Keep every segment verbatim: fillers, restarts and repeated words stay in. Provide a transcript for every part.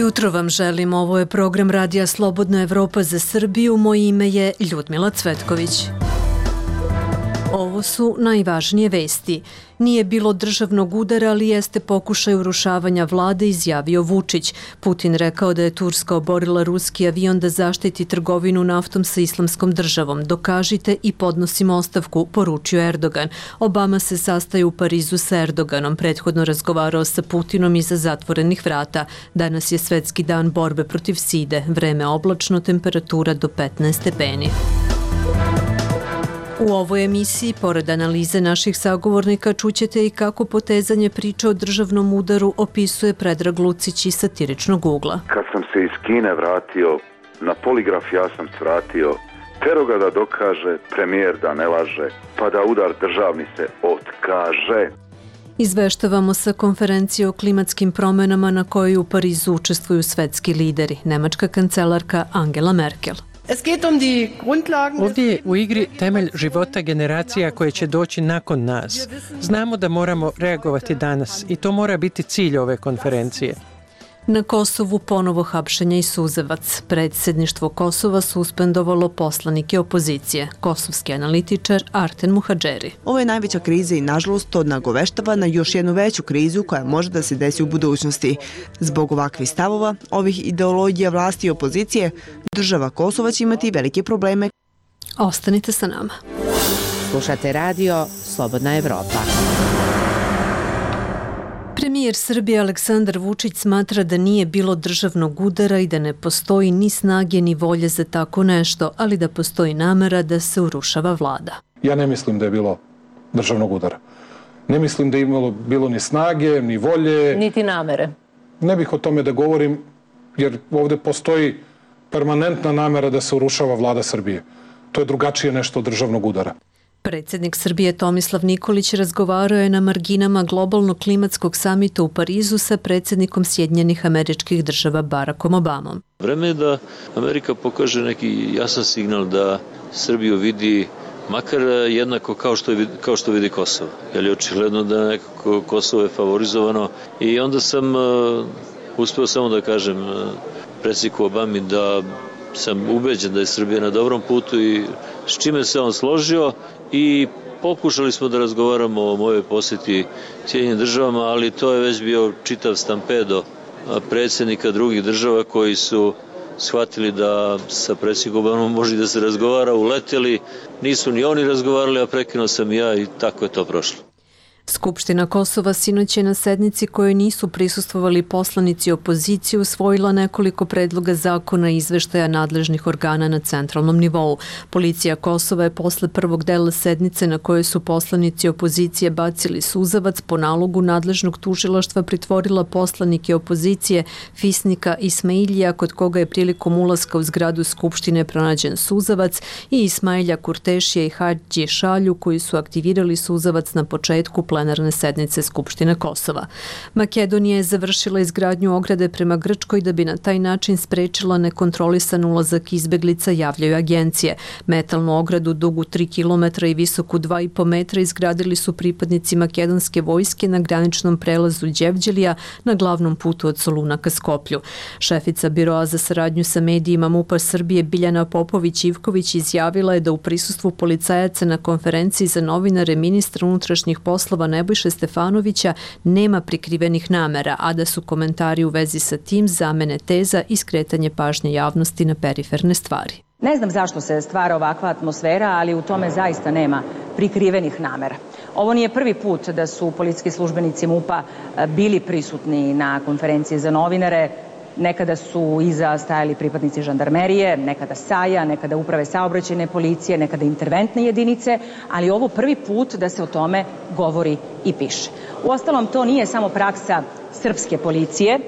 jutro vam želim. Ovo je program Radija Slobodna Evropa za Srbiju. Moje ime je Ljudmila Cvetković. Ovo su najvažnije vesti. Nije bilo državnog udara, ali jeste pokušaj urušavanja vlade, izjavio Vučić. Putin rekao da je Turska oborila ruski avion da zaštiti trgovinu naftom sa Islamskom državom. Dokažite i podnosimo ostavku, poručio Erdogan. Obama se sastaje u Parizu sa Erdoganom, prethodno razgovarao sa Putinom iza zatvorenih vrata. Danas je svetski dan borbe protiv side. Vreme oblačno, temperatura do petnaest stepeni. U ovoj emisiji, pored analize naših sagovornika, čućete i kako potezanje priče o državnom udaru opisuje Predrag Lucić iz satiričnog ugla. Kad sam se iz Kine vratio, na poligraf ja sam svratio, tero ga da dokaže, premijer da ne laže, pa da udar državni se otkaže. Izveštavamo sa konferencije o klimatskim promenama na kojoj u Parizu učestvuju svetski lideri, nemačka kancelarka Angela Merkel. Ovdje je u igri temelj života generacija koje će doći nakon nas. Znamo da moramo reagovati danas i to mora biti cilj ove konferencije. Na Kosovu ponovo hapšenje i suzavac. Predsjedništvo Kosova suspendovalo poslanike opozicije. Kosovski analitičar Arten Muhadžeri. Ovo je najveća kriza i nažalost to nagoveštava na još jednu veću krizu koja može da se desi u budućnosti. Zbog ovakvih stavova, ovih ideologija vlasti i opozicije, država Kosova će imati velike probleme. Ostanite sa nama. Slušate radio Slobodna Evropa. Premijer Srbije Aleksandar Vučić smatra da nije bilo državnog udara i da ne postoji ni snage ni volje za tako nešto, ali da postoji namera da se urušava vlada. Ja ne mislim da je bilo državnog udara. Ne mislim da je imalo bilo ni snage, ni volje. Niti namere. Ne bih o tome da govorim, jer ovdje postoji permanentna namera da se urušava vlada Srbije. To je drugačije nešto od državnog udara. Predsjednik Srbije Tomislav Nikolić razgovarao je na marginama globalnog klimatskog samita u Parizu sa predsjednikom Sjedinjenih Američkih Država Barackom Obamom. Vreme je da Amerika pokaže neki jasan signal da Srbiju vidi makar jednako kao što, je, kao što vidi Kosovo. Jer je očigledno da nekako Kosovo je favorizovano i onda sam uh, uspeo samo da kažem uh, predsjedniku Obami da sam ubeđen da je Srbija na dobrom putu i s čime se on složio i pokušali smo da razgovaramo o mojoj posjeti Sjedinjenim državama, ali to je već bio čitav stampedo predsjednika drugih država koji su shvatili da sa predsjednikom Obamom može da se razgovara, uleteli, nisu ni oni razgovarali, a prekinuo sam ja i tako je to prošlo. Skupština Kosova sinoć je na sednici kojoj nisu prisustvovali poslanici opozicije usvojila nekoliko predloga zakona i izveštaja nadležnih organa na centralnom nivou. Policija Kosova je posle prvog dela sednice na kojoj su poslanici opozicije bacili suzavac po nalogu nadležnog tužilaštva pritvorila poslanike opozicije Fisnika Ismailija, kod koga je prilikom ulaska u zgradu Skupštine pronađen suzavac, i Ismailja Kurtešija i Hadži Šalju, koji su aktivirali suzavac na početku plenarne sednice Skupštine Kosova. Makedonija je završila izgradnju ograde prema Grčkoj da bi na taj način sprečila nekontrolisan ulazak izbeglica, javljaju agencije. Metalnu ogradu dugu tri kilometra i visoku dva i po metra izgradili su pripadnici makedonske vojske na graničnom prelazu Đevđelija na glavnom putu od Soluna ka Skoplju. Šefica Biroa za saradnju sa medijima MUP-a Srbije Biljana Popović-Ivković izjavila je da u prisustvu policajaca na konferenciji za novinare ministra unutrašnjih poslova Nebojše Stefanovića nema prikrivenih namera, a da su komentari u vezi sa tim zamene teza i skretanje pažnje javnosti na periferne stvari. Ne znam zašto se stvara ovakva atmosfera, ali u tome zaista nema prikrivenih namera. Ovo nije prvi put da su policijski službenici MUP-a bili prisutni na konferenciji za novinare. Nekada su iza stajali pripadnici žandarmerije, nekada SAJ-a, nekada uprave saobraćajne policije, nekada interventne jedinice, ali ovo prvi put da se o tome govori i piše. Uostalom, to nije samo praksa srpske policije,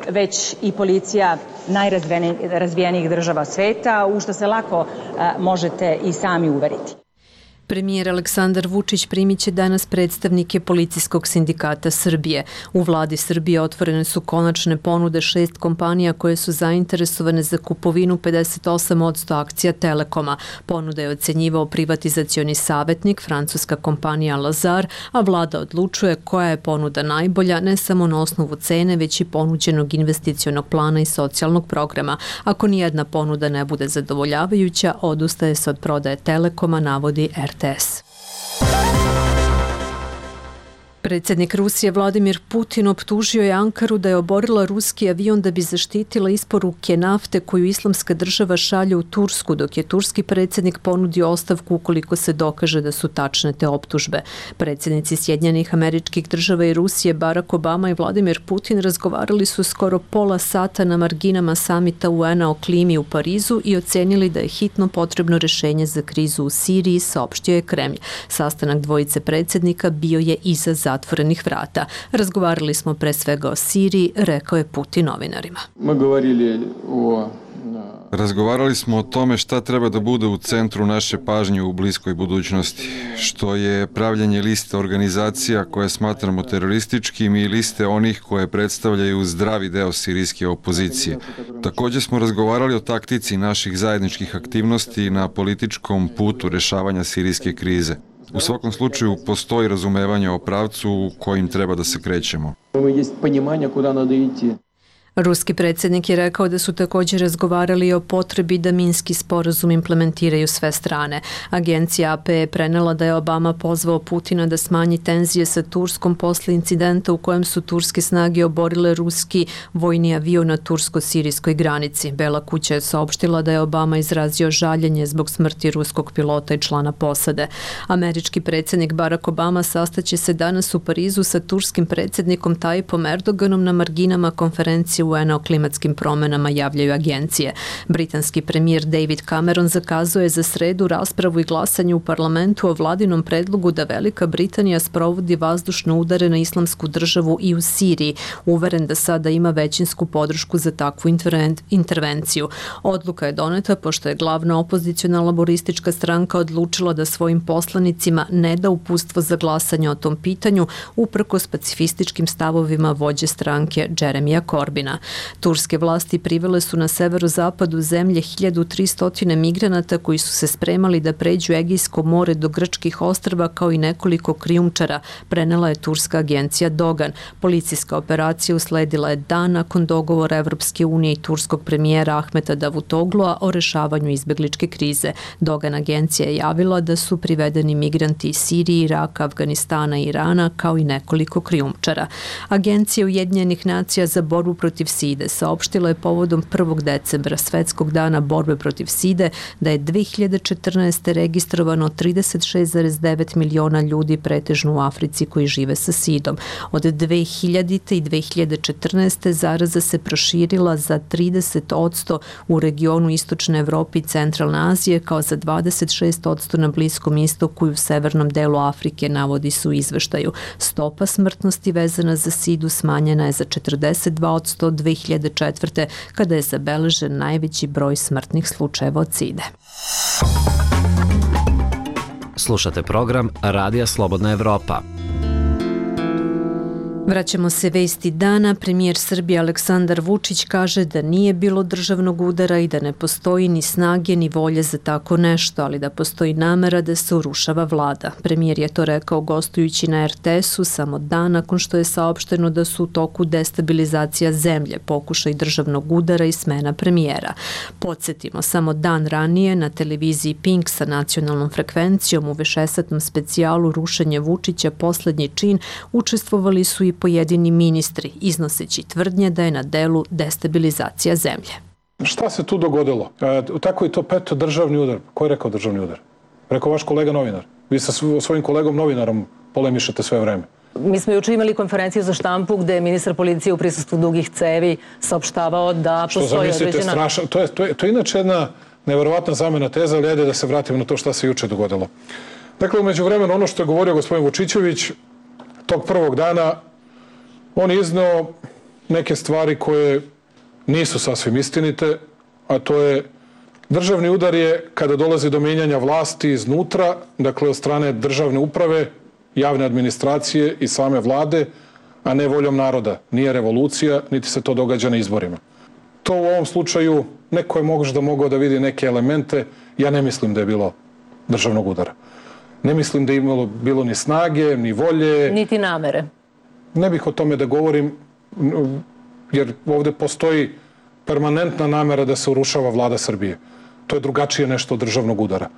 već i policija najrazvijenijih država sveta, u što se lako a, možete i sami uveriti. Premijer Aleksandar Vučić primit će danas predstavnike Policijskog sindikata Srbije. U vladi Srbije otvorene su konačne ponude šest kompanija koje su zainteresovane za kupovinu pedeset osam posto akcija Telekoma. Ponuda je ocenjivao privatizacioni savjetnik, francuska kompanija Lazar, a vlada odlučuje koja je ponuda najbolja ne samo na osnovu cene, već i ponuđenog investicionog plana i socijalnog programa. Ako nijedna ponuda ne bude zadovoljavajuća, odustaje se od prodaje Telekoma, navodi er te es. Predsjednik Rusije Vladimir Putin optužio je Ankaru da je oborila ruski avion da bi zaštitila isporuke nafte koju Islamska država šalje u Tursku, dok je turski predsjednik ponudio ostavku ukoliko se dokaže da su tačne te optužbe. Predsjednici Sjedinjenih Američkih Država i Rusije Barack Obama i Vladimir Putin razgovarali su skoro pola sata na marginama samita u en a o klimi u Parizu i ocenili da je hitno potrebno rješenje za krizu u Siriji, saopštio je Kremlj. Sastanak dvojice predsjednika bio je iza zatvorenih vrata. Razgovarali smo pre svega o Siriji, rekao je Putin novinarima. Razgovarali smo o tome šta treba da bude u centru naše pažnje u bliskoj budućnosti, što je pravljenje liste organizacija koje smatramo terorističkim i liste onih koje predstavljaju zdravi deo sirijske opozicije. Također smo razgovarali o taktici naših zajedničkih aktivnosti na političkom putu rešavanja sirijske krize. U svakom slučaju postoji razumevanje o pravcu kojim treba da se krećemo. Ruski predsjednik je rekao da su također razgovarali o potrebi da Minski sporazum implementiraju sve strane. Agencija a pe je prenela da je Obama pozvao Putina da smanji tenzije sa Turskom posle incidenta u kojem su turske snage oborile ruski vojni avion na tursko-sirijskoj granici. Bela kuća je saopštila da je Obama izrazio žaljenje zbog smrti ruskog pilota i člana posade. Američki predsjednik Barack Obama sastaće se danas u Parizu sa turskim predsjednikom Tayyipom Erdoganom na marginama konferencije u en a o klimatskim promenama, javljaju agencije. Britanski premijer David Cameron zakazuje za sredu raspravu i glasanje u parlamentu o vladinom predlogu da Velika Britanija sprovodi vazdušne udare na Islamsku državu i u Siriji, uveren da sada ima većinsku podršku za takvu intervenciju. Odluka je doneta pošto je glavna opozicijona laboristička stranka odlučila da svojim poslanicima ne da uputstvo za glasanje o tom pitanju uprkos pacifističkim stavovima vođe stranke Jeremija Corbina. Turske vlasti privele su na severozapadu zemlje hiljadu tristo migranata koji su se spremali da pređu Egejsko more do grčkih ostrva kao i nekoliko krijumčara, prenela je turska agencija Dogan. Policijska operacija usledila je dan nakon dogovora Evropske unije i turskog premijera Ahmeta Davutoglua o rešavanju izbegličke krize. Dogan agencija je javila da su privedeni migranti iz Sirije, Iraka, Afganistana i Irana kao i nekoliko krijumčara. Agencija Ujedinjenih nacija za borbu protiv side saopštila je povodom prvog decembra, Svetskog dana borbe protiv side, da je dve hiljade četrnaeste. registrovano trideset šest zarez devet miliona ljudi pretežno u Africi koji žive sa sidom. Od dve hiljadite. i dve hiljade četrnaeste. zaraza se proširila za trideset posto u regionu Istočne Evrope i Centralne Azije, kao za dvadeset šest posto na Bliskom istoku i u severnom delu Afrike, navodi su u izveštaju. Stopa smrtnosti vezana za sidu smanjena je za četrdeset dva posto dve hiljade četvrte. kada je zabeležen najveći broj smrtnih slučajeva od side. Slušate program Radija Slobodna Evropa. Vraćamo se vesti dana. Premijer Srbije Aleksandar Vučić kaže da nije bilo državnog udara i da ne postoji ni snage ni volje za tako nešto, ali da postoji namera da se urušava vlada. Premijer je to rekao gostujući na er te esu samo dan nakon što je saopšteno da su u toku destabilizacija zemlje, pokušaj državnog udara i smena premijera. Podsjetimo, samo dan ranije na televiziji Pink sa nacionalnom frekvencijom u višesatnom specijalu Rušenje Vučića poslednji čin učestvovali su i pojedini ministri, iznoseći tvrdnje da je na delu destabilizacija zemlje. Šta se tu dogodilo? E, tako je to peto državni udar. Ko je rekao državni udar? Rekao vaš kolega novinar. Vi sa svojim kolegom novinarom polemišete sve vreme. Mi smo juče imali konferenciju za štampu gde je ministar policije u prisustvu dugih cevi saopštavao da postoji određena... Strašno, to je, to je, to je inače jedna neverovatna zamena teza, ali ajde da se vratimo na to šta se juče dogodilo. Dakle, umeđu vremenu, ono što je govorio gospodin Vučićević, tog prvog dana on je izneo neke stvari koje nisu sasvim istinite, a to je Državni udar je kada dolazi do menjanja vlasti iznutra, dakle od strane državne uprave, javne administracije i same vlade, a ne voljom naroda. Nije revolucija, niti se to događa na izborima. To u ovom slučaju neko je možda mogao da vidi neke elemente. Ja ne mislim da je bilo državnog udara. Ne mislim da je imalo bilo ni snage, ni volje. Niti namere. Ne bih o tome da govorim, jer ovde postoji permanentna namera da se urušava vlada Srbije. To je drugačije nešto od državnog udara.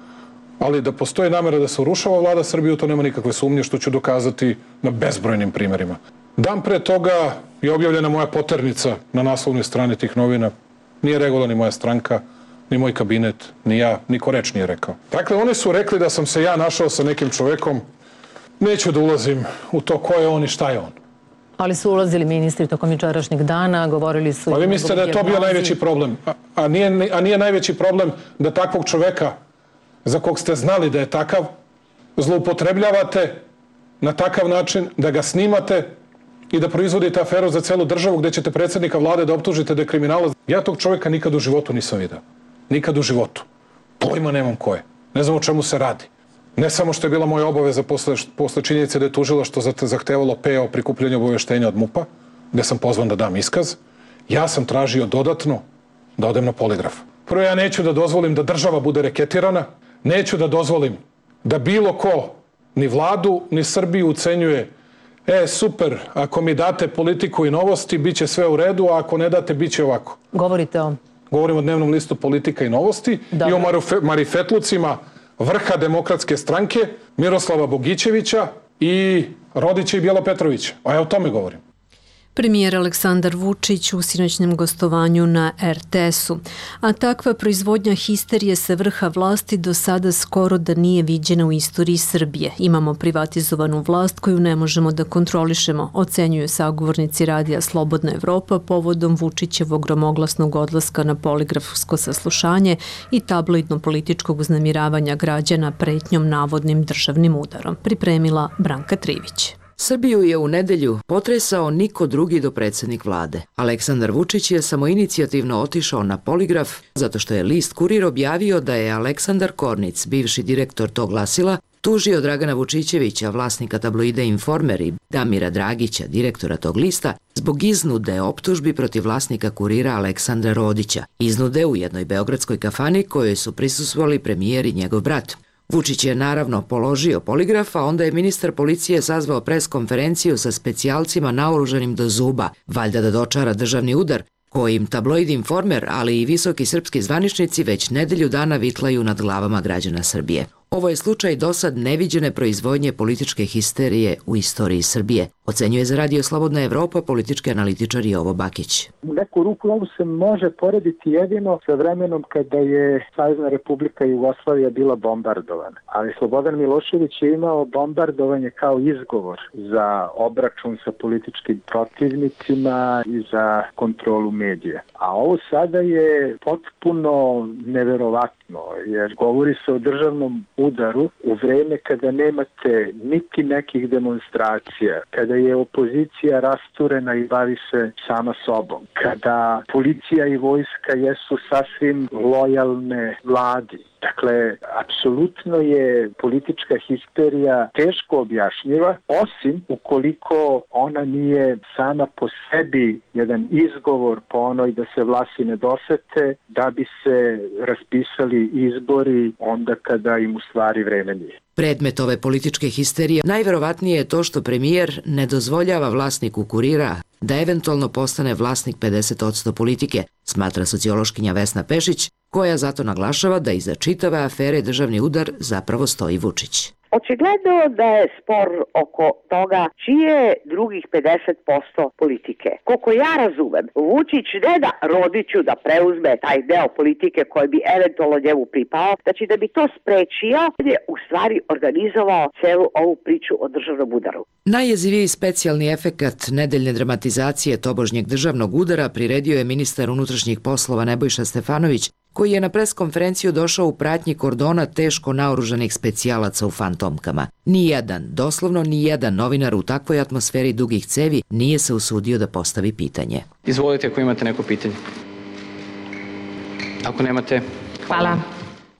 Ali da postoji namera da se urušava vlada Srbije, to nema nikakve sumnje, što ću dokazati na bezbrojnim primerima. Dan pre toga je objavljena moja poternica na naslovnoj strani tih novina. Nije reagovala ni moja stranka, ni moj kabinet, ni ja, niko reč nije rekao. Dakle, oni su rekli da sam se ja našao sa nekim čovekom. Neću da ulazim u to ko je on i šta je on. Ali su ulazili ministri tokom jučerašnjeg dana, govorili su... Pa vi mislite da je to bio najveći problem? A, a, nije, a nije najveći problem da takvog čoveka, za kog ste znali da je takav, zloupotrebljavate na takav način, da ga snimate i da proizvodite aferu za celu državu gde ćete predsjednika vlade da optužite da je kriminalac. Ja tog čoveka nikad u životu nisam vidio. Nikad u životu. Pojma nemam ko je. Ne znam o čemu se radi. Ne samo što je bila moja obaveza posle, posle činjenice da je tužilaštvo zahtevalo P O prikupljanje obaveštenja od MUP-a, gde sam pozvan da dam iskaz, ja sam tražio dodatno da odem na poligraf. Prvo, ja neću da dozvolim da država bude reketirana, neću da dozvolim da bilo ko, ni vladu, ni Srbiju ucenjuje: e, super, ako mi date politiku i novosti, bit će sve u redu, a ako ne date, bit će ovako. Govorite o... Govorim o dnevnom listu Politika i novosti. Dobre. I o marifetlucima vrha Demokratske stranke, Miroslava Bogićevića i Rodića i Bijela Petrovića. A ja o tome govorim. Premijer Aleksandar Vučić u sinoćnem gostovanju na er te es-u. A takva proizvodnja histerije sa vrha vlasti do sada skoro da nije viđena u istoriji Srbije. Imamo privatizovanu vlast koju ne možemo da kontrolišemo, ocenjuju sagovornici radija Slobodna Evropa povodom Vučićevog gromoglasnog odlaska na poligrafsko saslušanje i tabloidno-političkog uznemiravanja građana pretnjom navodnim državnim udarom. Pripremila Branka Trivić. Srbiju je u nedelju potresao niko drugi do predsjednik vlade. Aleksandar Vučić je samoinicijativno otišao na poligraf zato što je list Kurir objavio da je Aleksandar Kornic, bivši direktor tog glasila, tužio Dragana Vučićevića, vlasnika tabloida Informer, i Damira Dragića, direktora tog lista, zbog iznude optužbi protiv vlasnika Kurira Aleksandra Rodića. Iznude u jednoj beogradskoj kafani kojoj su prisustvovali premijer i njegov brat. Vučić je naravno položio poligraf, a onda je ministar policije sazvao pres konferenciju sa specijalcima naoružanim do zuba, valjda da dočara državni udar, kojim tabloid Informer, ali i visoki srpski zvaničnici već nedelju dana vitlaju nad glavama građana Srbije. Ovo je slučaj dosad neviđene proizvodnje političke histerije u istoriji Srbije, ocenjuje za Radio Slobodna Evropa politički analitičar Jovo Bakić. U neku ruku ovo se može porediti jedino sa vremenom kada je Savezna Republika Jugoslavija bila bombardovana. Ali Slobodan Milošević je imao bombardovanje kao izgovor za obračun sa političkim protivnicima i za kontrolu medija. A ovo sada je potpuno neverovatno, jer govori se o državnom udaru u vreme kada nemate niti nekih demonstracija, kada je opozicija rasturena i bavi se sama sobom, kada policija i vojska jesu sasvim lojalne vladi. Dakle, apsolutno je politička histerija teško objašnjiva, osim ukoliko ona nije sama po sebi jedan izgovor po onoj da se vlasi ne dosete, da bi se raspisali izbori onda kada im u stvari vreme nije. Predmet ove političke histerije najverovatnije je to što premijer ne dozvoljava vlasniku Kurira da eventualno postane vlasnik pedeset posto politike, smatra sociološkinja Vesna Pešić, koja zato naglašava da iza čitave afere državni udar zapravo stoji Vučić. Očigledno da je spor oko toga čije je drugih pedeset posto politike. Koliko ja razumem, Vučić ne da Rodiću da preuzme taj deo politike koji bi eventualno njemu pripao, znači da bi to sprečio, je u stvari organizovao celu ovu priču o državnom udaru. Najjeziviji specijalni efekat nedeljne dramatizacije tobožnjeg državnog udara priredio je ministar unutrašnjih poslova Nebojša Stefanović, koji je na preskonferenciju došao u pratnji kordona teško naoružanih specijalaca u fantomkama. Nijedan, doslovno nijedan novinar u takvoj atmosferi dugih cevi nije se usudio da postavi pitanje. Izvolite ako imate neko pitanje. Ako nemate, Hvala.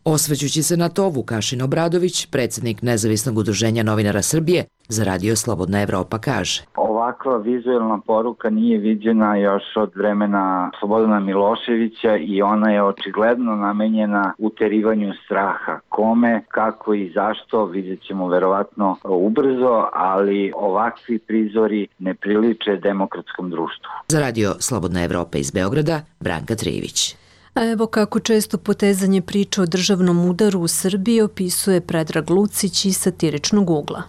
Osvećući se na to, Vukašin Obradović, predsjednik Nezavisnog udruženja novinara Srbije, za Radio Slobodna Evropa kaže: Ovakva vizualna poruka nije viđena još od vremena Slobodana Miloševića i ona je očigledno namenjena uterivanju straha. Kome, kako i zašto vidjet ćemo verovatno ubrzo, ali ovakvi prizori ne priliče demokratskom društvu. Za Radio Slobodna Evropa iz Beograda, Branka Trivić. A evo kako često potezanje priča o državnom udaru u Srbiji opisuje Predrag Lucić iz satiričnog ugla.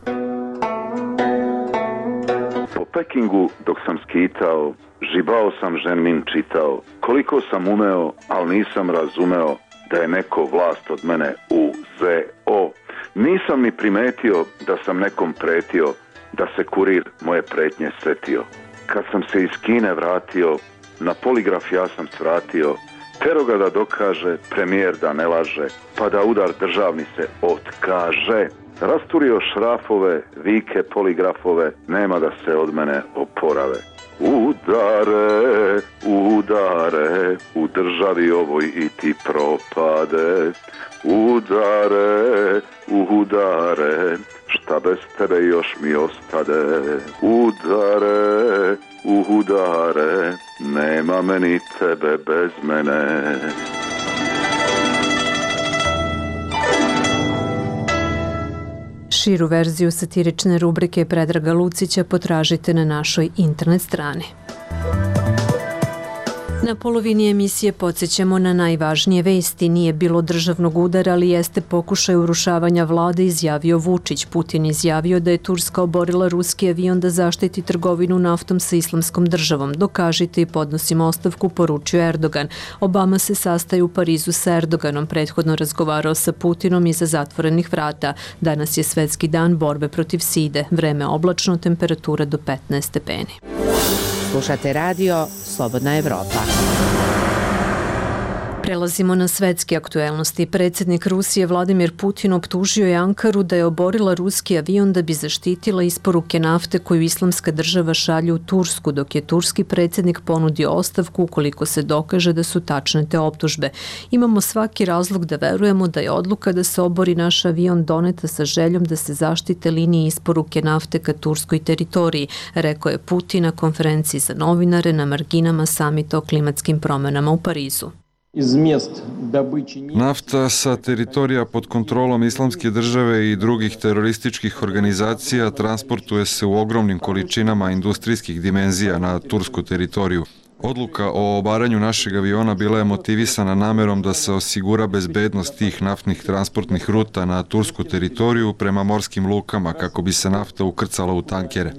Po Pekingu dok sam skitao, žibao sam ženmin čitao, koliko sam umeo, ali nisam razumeo da je neko vlast od mene uzeo. Nisam ni primetio da sam nekom pretio, da se kurir moje pretnje setio. Kad sam se iz Kine vratio, na poligraf ja sam svratio, tero ga da dokaže, premijer da ne laže, pa da udar državni se otkaže. Rasturio šrafove, vike poligrafove, nema da se od mene oporave. Udare, udare, u državi ovoj i ti propade. Udare, udare, šta bez tebe još mi ostade. Udare, udare, nema meni tebe bez mene. Širu verziju satirične rubrike Predraga Lucića potražite na našoj internet strani. Na polovini emisije podsjećamo na najvažnije vesti. Nije bilo državnog udara, ali jeste pokušaj urušavanja vlade, izjavio Vučić. Putin izjavio da je Turska oborila ruski avion da zaštiti trgovinu naftom sa islamskom državom. Dokažite i podnosimo ostavku, poručio Erdogan. Obama se sastaje u Parizu sa Erdoganom, prethodno razgovarao sa Putinom iza zatvorenih vrata. Danas je svetski dan borbe protiv side. Vreme oblačno, temperatura do petnaest stepeni. Slušate Radio Slobodna Evropa. Prelazimo na svetske aktuelnosti. Predsjednik Rusije Vladimir Putin optužio je Ankaru da je oborila ruski avion da bi zaštitila isporuke nafte koju islamska država šalje u Tursku, dok je turski predsjednik ponudio ostavku ukoliko se dokaže da su tačne te optužbe. Imamo svaki razlog da verujemo da je odluka da se obori naš avion doneta sa željom da se zaštite linije isporuke nafte ka turskoj teritoriji, rekao je Putin na konferenciji za novinare na marginama samita o klimatskim promenama u Parizu. Nafta sa teritorija pod kontrolom Islamske države i drugih terorističkih organizacija transportuje se u ogromnim količinama industrijskih dimenzija na tursku teritoriju. Odluka o obaranju našeg aviona bila je motivisana namerom da se osigura bezbednost tih naftnih transportnih ruta na tursku teritoriju prema morskim lukama kako bi se nafta ukrcala u tankere.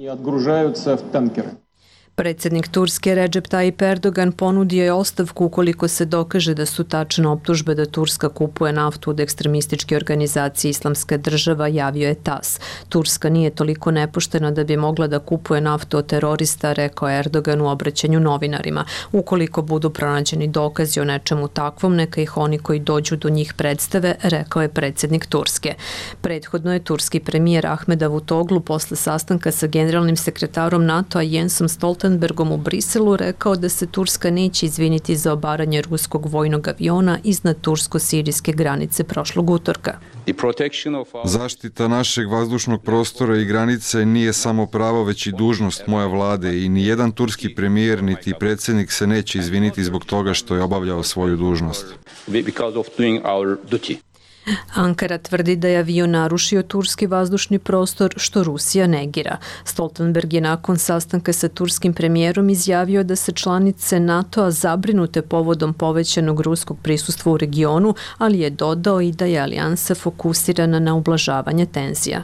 Predsjednik Turske Recep Tayyip Erdogan ponudio je ostavku ukoliko se dokaže da su tačne optužbe da Turska kupuje naftu od ekstremističke organizacije Islamska država, javio je tas. Turska nije toliko nepoštena da bi mogla da kupuje naftu od terorista, rekao Erdogan u obraćanju novinarima. Ukoliko budu pronađeni dokazi o nečemu takvom, neka ih oni koji dođu do njih predstave, rekao je predsjednik Turske. Prethodno je turski premijer Ahmed Davutoglu posle sastanka sa generalnim sekretarom NATO-a Jensom Stoltenbergom u Briselu rekao da se Turska neće izviniti za obaranje ruskog vojnog aviona iznad tursko-sirijske granice prošlog utorka. Zaštita našeg vazdušnog prostora i granice nije samo pravo, već i dužnost moje vlade i ni jedan turski premijer niti predsjednik se neće izviniti zbog toga što je obavljao svoju dužnost. Ankara tvrdi da je avion narušio turski vazdušni prostor, što Rusija negira. Stoltenberg je nakon sastanka sa turskim premijerom izjavio da se članice NATO-a zabrinute povodom povećanog ruskog prisustva u regionu, ali je dodao i da je alijansa fokusirana na ublažavanje tenzija.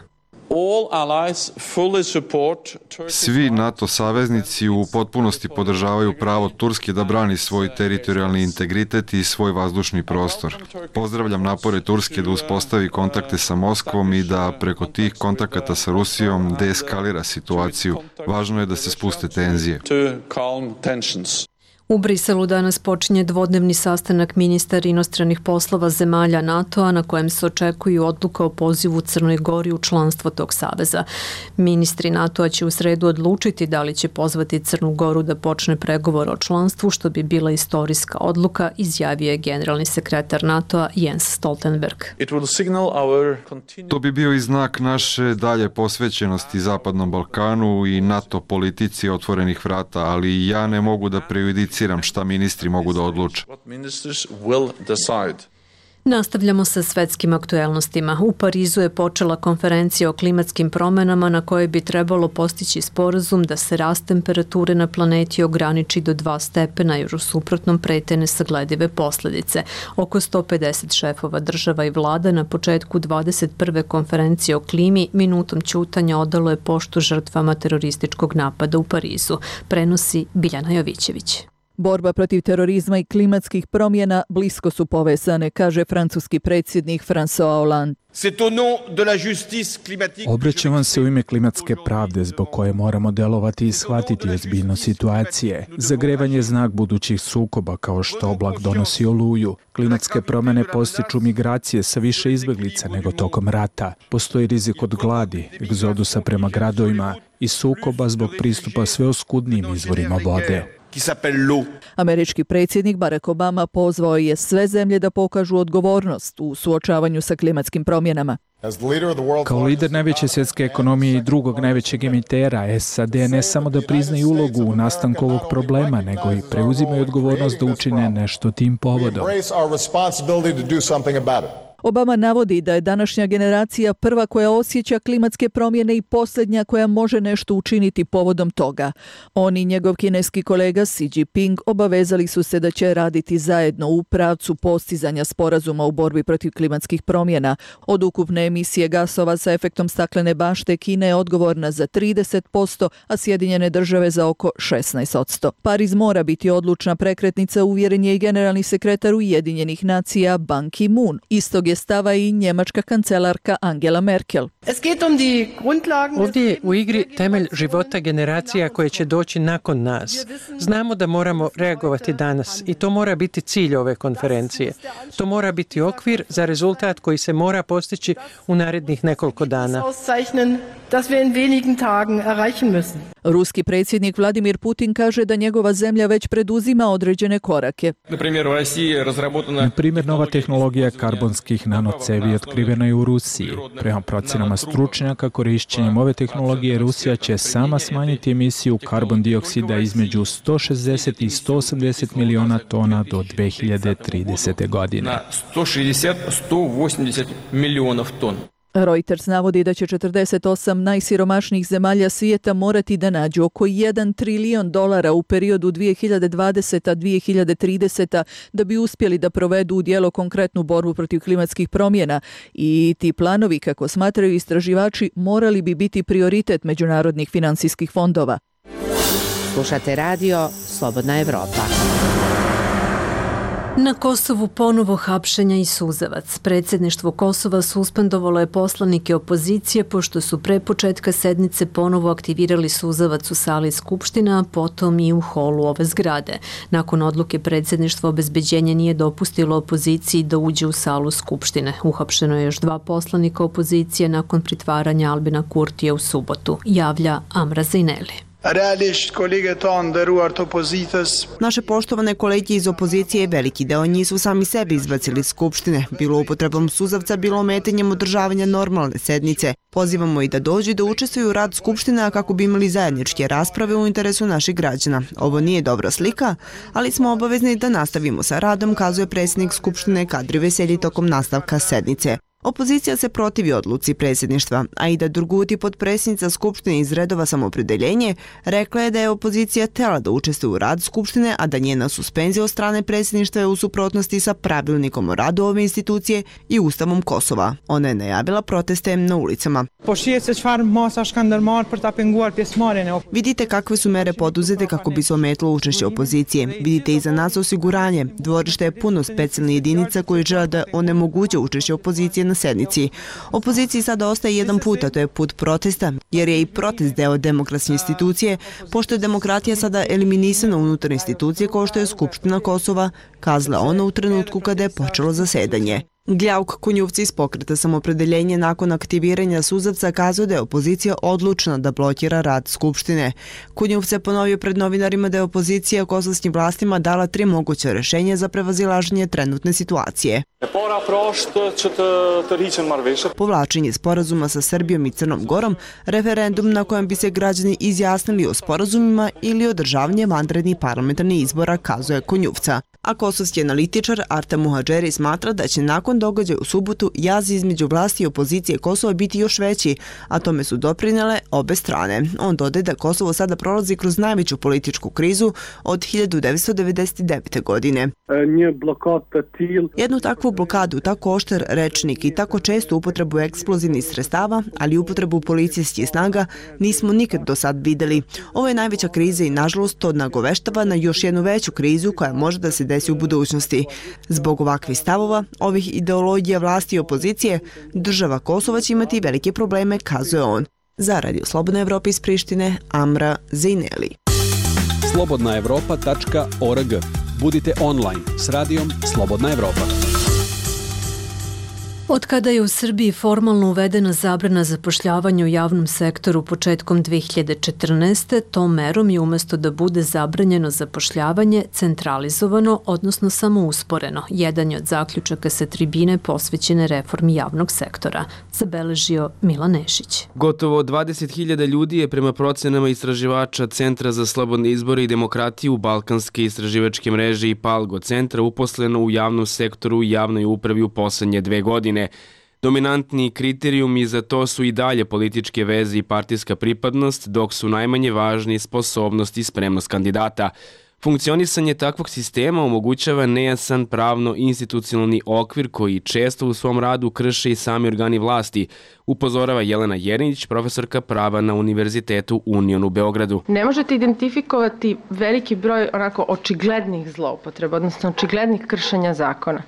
Svi NATO saveznici u potpunosti podržavaju pravo Turske da brani svoj teritorijalni integritet i svoj vazdušni prostor. Pozdravljam napore Turske da uspostavi kontakte sa Moskvom i da preko tih kontakata sa Rusijom deeskalira situaciju. Važno je da se spuste tenzije. U Briselu danas počinje dvodnevni sastanak ministara inostranih poslova zemalja NATO-a na kojem se očekuju odluka o pozivu Crnoj Gori u članstvo tog saveza. Ministri NATO-a će u sredu odlučiti da li će pozvati Crnu Goru da počne pregovor o članstvu, što bi bila istorijska odluka, izjavio je generalni sekretar NATO-a Jens Stoltenberg. To bi bio i znak naše dalje posvećenosti Zapadnom Balkanu i NATO politici otvorenih vrata, ali ja ne mogu da prejudiciram šta ministri mogu da odluče. Nastavljamo sa svetskim aktuelnostima. U Parizu je počela konferencija o klimatskim promenama na kojoj bi trebalo postići sporazum da se rast temperature na planeti ograniči do dva stepena jer u suprotnom prete nesagledive posljedice. Oko sto pedeset šefova država i vlada na početku dvadeset prve konferencije o klimi minutom ćutanja odalo je poštu žrtvama terorističkog napada u Parizu. Prenosi Biljana Jovićević. Borba protiv terorizma i klimatskih promjena blisko su povezane, kaže francuski predsjednik François Hollande. Obraćam vam se u ime klimatske pravde zbog koje moramo delovati i shvatiti ozbiljnost situacije. Zagrevanje je znak budućih sukoba kao što oblak donosi oluju. Klimatske promjene postiču migracije sa više izbjeglica nego tokom rata. Postoji rizik od gladi, egzodusa prema gradovima i sukoba zbog pristupa sve oskudnijim izvorima vode. Američki predsjednik Barack Obama pozvao je sve zemlje da pokažu odgovornost u suočavanju sa klimatskim promjenama. Kao lider najveće svjetske ekonomije i drugog najvećeg emitera, S A D ne samo da priznaju ulogu u nastanku ovog problema, nego i preuzimaju odgovornost da učine nešto tim povodom. Obama navodi da je današnja generacija prva koja osjeća klimatske promjene i posljednja koja može nešto učiniti povodom toga. On i njegov kineski kolega Xi Jinping obavezali su se da će raditi zajedno u pravcu postizanja sporazuma u borbi protiv klimatskih promjena. Od ukupne emisije gasova sa efektom staklene bašte Kina je odgovorna za trideset posto, a Sjedinjene države za oko šesnaest posto. Pariz mora biti odlučna prekretnica, uvjeren je i generalni sekretar Ujedinjenih nacija Ban Ki-moon. Istog je stava i njemačka kancelarka Angela Merkel. Ovdje je u igri temelj života generacija koje će doći nakon nas. Znamo da moramo reagovati danas i to mora biti cilj ove konferencije. To mora biti okvir za rezultat koji se mora postići u narednih nekoliko dana. Ruski predsjednik Vladimir Putin kaže da njegova zemlja već preduzima određene korake. Na primjer, nova tehnologija karbonskih nanocevi otkrivena je u Rusiji. Prema procenama stručnjaka, korišćenjem ove tehnologije Rusija će sama smanjiti emisiju karbon dioksida između sto šezdeset i sto osamdeset miliona tona do dve hiljade tridesete. godine. Reuters navodi da će četrdeset osam najsiromašnijih zemalja svijeta morati da nađu oko jedan trilion dolara u periodu dvije hiljade dvadesete do dvije hiljade tridesete. da bi uspjeli da provedu u djelo konkretnu borbu protiv klimatskih promjena i ti planovi, kako smatraju istraživači, morali bi biti prioritet međunarodnih finansijskih fondova. Slušate radio Slobodna Evropa. Na Kosovu ponovo hapšenja i suzavac. Predsjedništvo Kosova suspendovalo je poslanike opozicije pošto su pre početka sednice ponovo aktivirali suzavac u sali Skupština, a potom i u holu ove zgrade. Nakon odluke predsjedništva obezbeđenje nije dopustilo opoziciji da uđe u salu Skupštine. Uhapšeno je još dva poslanika opozicije nakon pritvaranja Albina Kurtija u subotu, javlja Amra Zejneli. Naše poštovane kolege iz opozicije, veliki deo njih su sami sebi izbacili iz Skupštine, bilo upotrebom suzavca, bilo ometanjem održavanja normalne sednice. Pozivamo i da dođu i da učestvuju u rad Skupština kako bi imali zajedničke rasprave u interesu naših građana. Ovo nije dobra slika, ali smo obavezni da nastavimo sa radom, kazuje predsjednik Skupštine Kadri Veselji tokom nastavka sednice. Opozicija se protivi odluci predsjedništva, a Ida Durguti, potpredsjednica Skupštine iz redova Samoopredjeljenje, rekla je da je opozicija htjela da učestvuje u rad Skupštine, a da njena suspenzija od strane predsjedništva je u suprotnosti sa pravilnikom o radu ove institucije i Ustavom Kosova. Ona je najavila proteste na ulicama. Vidite kakve su mere poduzete kako bi se ometilo učešće opozicije. Vidite iza nas osiguranje. Dvorište je puno specijalnih jedinica koji žele da onemoguće učešće opozicije na sednici. Opoziciji sada ostaje jedan put, a to je put protesta, jer je i protest deo demokratske institucije, pošto je demokratija sada eliminisana unutar institucije kao što je Skupština Kosova, kazala ona u trenutku kada je počelo zasedanje. Gljauk Kunjuvci iz Pokreta Samopredeljenje nakon aktiviranja suzavca kazao da je opozicija odlučna da blokira rad Skupštine. Kunjuvce je ponovio pred novinarima da je opozicija kosovskim vlastima dala tri moguća rešenja za prevazilaženje trenutne situacije. Povlačenje sporazuma sa Srbijom i Crnom Gorom, referendum na kojem bi se građani izjasnili o sporazumima ili održavanje vanrednih parlamentarnih izbora, kazuje Kunjuvca. A kosovski analitičar Arta Muhadžeri smatra da će nakon događaja u subotu jaz između vlasti i opozicije Kosova biti još veći, a tome su doprinele obe strane. On dodaje da Kosovo sada prolazi kroz najveću političku krizu od hiljadu devetsto devedeset devete. godine. Jednu takvu blokadu, tako oštar rečnik i tako čestu upotrebu eksplozivnih sredstava, ali upotrebu policijskih snaga nismo nikad do sad videli. Ovo je najveća kriza i nažalost to nagoveštava na još jednu veću krizu koja može da se desi u budućnosti. Zbog ovakvih stavova, ovih ideologija vlasti i opozicije, država Kosova će imati velike probleme, kazuje on. Za Radio Slobodna Evropa iz Prištine, Amra Zejneli. slobodna evropa tačka org. Budite online s radijom Slobodna Evropa. Od kada je u Srbiji formalno uvedena zabrana zapošljavanja u javnom sektoru početkom dve hiljade četrnaeste. tom merom je umesto da bude zabranjeno zapošljavanje centralizovano, odnosno samo usporeno. Jedan je od zaključaka sa tribine posvećene reformi javnog sektora, zabeležio Milan Nešić. Gotovo dvadeset hiljada ljudi je prema procenama istraživača Centra za slobodne izbore i demokratiju Balkanske istraživačke mreže i Palgo centra uposleno u javnom sektoru i javnoj upravi u poslednje dve godine. Dominantni kriterijumi za to su i dalje političke veze i partijska pripadnost, dok su najmanje važni sposobnost i spremnost kandidata. Funkcionisanje takvog sistema omogućava nejasan pravno-institucionalni okvir koji često u svom radu krše i sami organi vlasti, upozorava Jelena Jerinić, profesorka prava na Univerzitetu Union u Beogradu. Ne možete identifikovati veliki broj onako očiglednih zloupotreba, odnosno očiglednih kršenja zakona.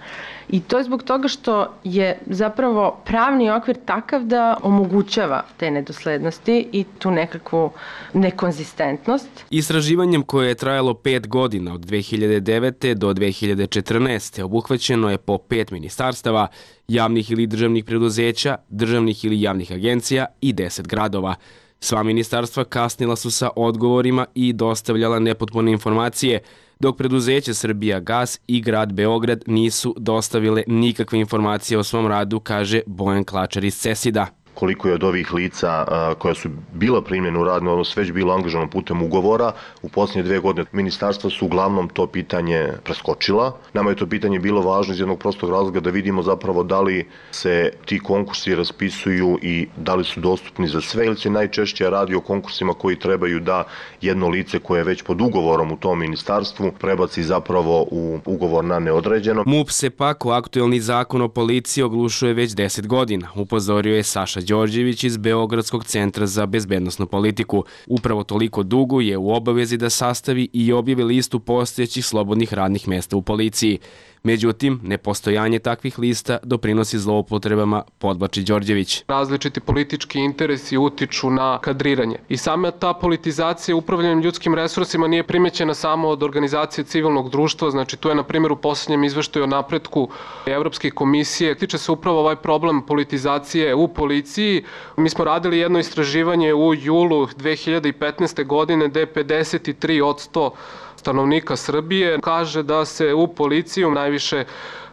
I to je zbog toga što je zapravo pravni okvir takav da omogućava te nedoslednosti i tu nekakvu nekonzistentnost. Istraživanjem koje je trajalo pet godina od dve hiljade devete. do dve hiljade četrnaeste. obuhvaćeno je po pet ministarstava, javnih ili državnih preduzeća, državnih ili javnih agencija i deset gradova. Sva ministarstva kasnila su sa odgovorima i dostavljala nepotpune informacije, dok preduzeće Srbijagas i grad Beograd nisu dostavile nikakve informacije o svom radu, kaže Bojan Klačar iz CESID-a. Koliko je od ovih lica a, koja su bila primljena u radni odnos već bilo angažovano putem ugovora, u posljednje dve godine ministarstva su uglavnom to pitanje preskočila. Nama je to pitanje bilo važno iz jednog prostog razloga da vidimo zapravo da li se ti konkursi raspisuju i da li su dostupni za sve ili se najčešće radi o konkursima koji trebaju da jedno lice koje je već pod ugovorom u tom ministarstvu prebaci zapravo u ugovor na neodređeno. MUP se pak u aktuelni zakon o policiji oglušuje već deset godina, upozorio je Saša Đorđević iz Beogradskog centra za bezbednosnu politiku. Upravo toliko dugo je u obavezi da sastavi i objavi listu postojećih slobodnih radnih mesta u policiji. Međutim, nepostojanje takvih lista doprinosi zloupotrebama, podvlači Đorđević. Različiti politički interesi utiču na kadriranje. I sama ta politizacija upravljanjem ljudskim resursima nije primećena samo od organizacije civilnog društva, znači tu je na primjer u posljednjem izveštaju o napretku Evropske komisije. Tiče se upravo ovaj problem politizacije u policiji. Mi smo radili jedno istraživanje u julu dve hiljade petnaeste. godine gde je pedeset tri posto stanovnika Srbije kaže da se u policiju najviše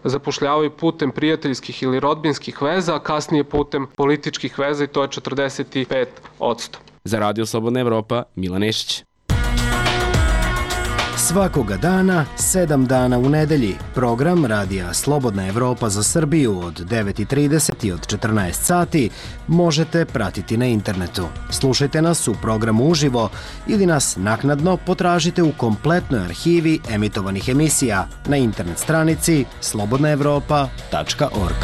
zapošljavaju putem prijateljskih ili rodbinskih veza, a kasnije putem političkih veza i to je četrdeset pet posto. Za Radio Slobodna Evropa, Milan Nešić. Svakoga dana, sedam dana u nedelji, program Radija Slobodna Evropa za Srbiju od devet i trideset i od četrnaest sati možete pratiti na internetu. Slušajte nas u programu uživo ili nas naknadno potražite u kompletnoj arhivi emitovanih emisija na internet stranici slobodna evropa tačka org.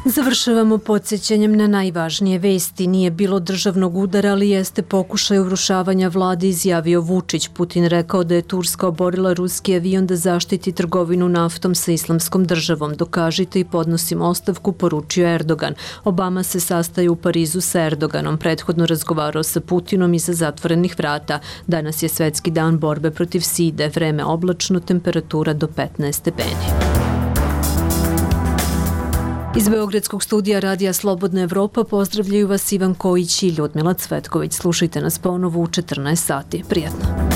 Završavamo podsjećanjem na najvažnije vesti. Nije bilo državnog udara, ali jeste pokušaj urušavanja vlade, izjavio Vučić. Putin rekao da je Turska oborila ruski avion da zaštiti trgovinu naftom sa Islamskom državom. Dokažite i podnosimo ostavku, poručio Erdogan. Obama se sastaje u Parizu sa Erdoganom. Prethodno razgovarao sa Putinom iza zatvorenih vrata. Danas je svetski dan borbe protiv side. Vreme oblačno, temperatura do petnaest stepeni. Iz Beogradskog studija Radija Slobodna Evropa pozdravljaju vas Ivan Kojić i Ljudmila Cvetković. Slušajte nas ponovo u četrnaest sati. Prijatno.